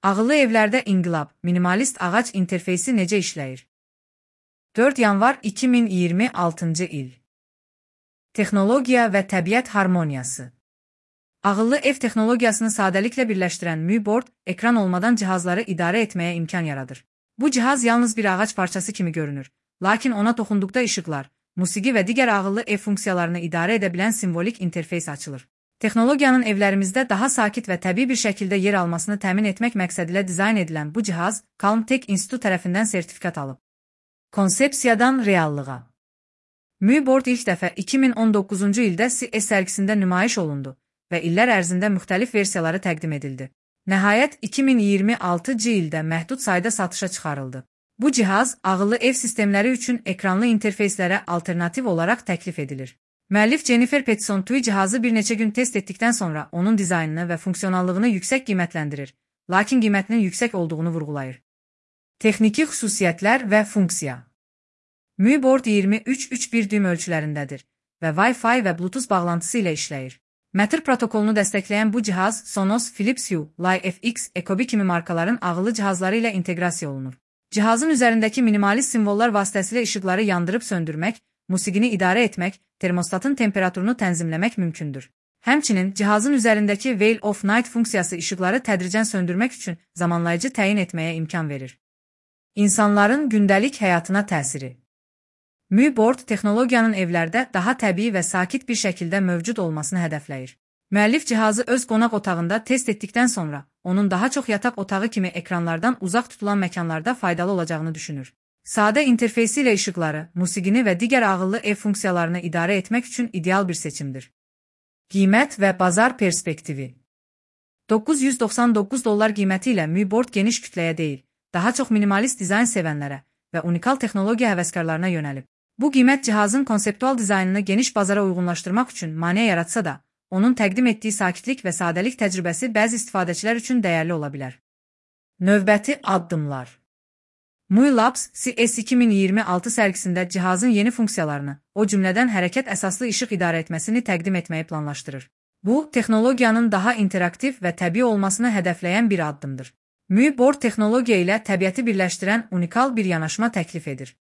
Ağıllı evlərdə inqilab, minimalist ağac interfeysi necə işləyir? 4 yanvar 2026-cı il. Texnologiya və təbiət harmoniyası. Ağıllı ev texnologiyasını sadəliklə birləşdirən MÜBORD, ekran olmadan cihazları idarə etməyə imkan yaradır. Bu cihaz yalnız bir ağac parçası kimi görünür, lakin ona toxunduqda işıqlar, musiqi və digər ağıllı ev funksiyalarını idarə edə bilən simvolik interfeys açılır. Texnologiyanın evlərimizdə daha sakit və təbii bir şəkildə yer almasını təmin etmək məqsədilə dizayn edilən bu cihaz, Calm-Tech İnstitutu tərəfindən sertifikat alıb. Konsepsiyadan reallığa. MÜBORD ilk dəfə 2019-cu ildə CES sərgisində nümayiş olundu və illər ərzində müxtəlif versiyaları təqdim edildi. Nəhayət, 2026-cı ildə məhdud sayda satışa çıxarıldı. Bu cihaz, ağıllı ev sistemləri üçün ekranlı interfeyslərə alternativ olaraq təklif edilir. Müəllif Jennifer Peterson-Tui cihazı bir neçə gün test etdikdən sonra onun dizaynını və funksionallığını yüksək qiymətləndirir, lakin qiymətinin yüksək olduğunu vurğulayır. Texniki xüsusiyyətlər və funksiya. MÜBORD 23.3.1 düym ölçülərindədir və Wi-Fi və Bluetooth bağlantısı ilə işləyir. Matter protokolunu dəstəkləyən bu cihaz Sonos, Philips Hue, Li-FX, Ecobee kimi markaların ağıllı cihazları ilə inteqrasiya olunur. Cihazın üzərindəki minimalist simvollar vasitəsilə işıqları yandırıb söndürmək, musiqini idarə etmək, termostatın temperaturunu tənzimləmək mümkündür. Həmçinin, cihazın üzərindəki Veil of Night funksiyası işıqları tədricən söndürmək üçün zamanlayıcı təyin etməyə imkan verir. İnsanların gündəlik həyatına təsiri. MÜBORD texnologiyanın evlərdə daha təbii və sakit bir şəkildə mövcud olmasını hədəfləyir. Müəllif cihazı öz qonaq otağında test etdikdən sonra, onun daha çox yataq otağı kimi ekranlardan uzaq tutulan məkanlarda faydalı olacağını düşünür. Sadə interfeysi ilə işıqları, musiqini və digər ağıllı ev funksiyalarını idarə etmək üçün ideal bir seçimdir. Qiymət və bazar perspektivi. $999 qiyməti ilə MÜBORD geniş kütləyə deyil, daha çox minimalist dizayn sevənlərə və unikal texnologiya həvəskarlarına yönəlib. Bu qiymət cihazın konseptual dizaynını geniş bazara uyğunlaşdırmaq üçün maneə yaratsa da, onun təqdim etdiyi sakitlik və sadəlik təcrübəsi bəzi istifadəçilər üçün dəyərli ola bilər. Növbəti addımlar. MUI Labs CES 2026 sərgisində cihazın yeni funksiyalarını, o cümlədən hərəkət əsaslı işıq idarə etməsini təqdim etməyi planlaşdırır. Bu, texnologiyanın daha interaktiv və təbii olmasını hədəfləyən bir addımdır. MÜBORD texnologiya ilə təbiəti birləşdirən unikal bir yanaşma təklif edir.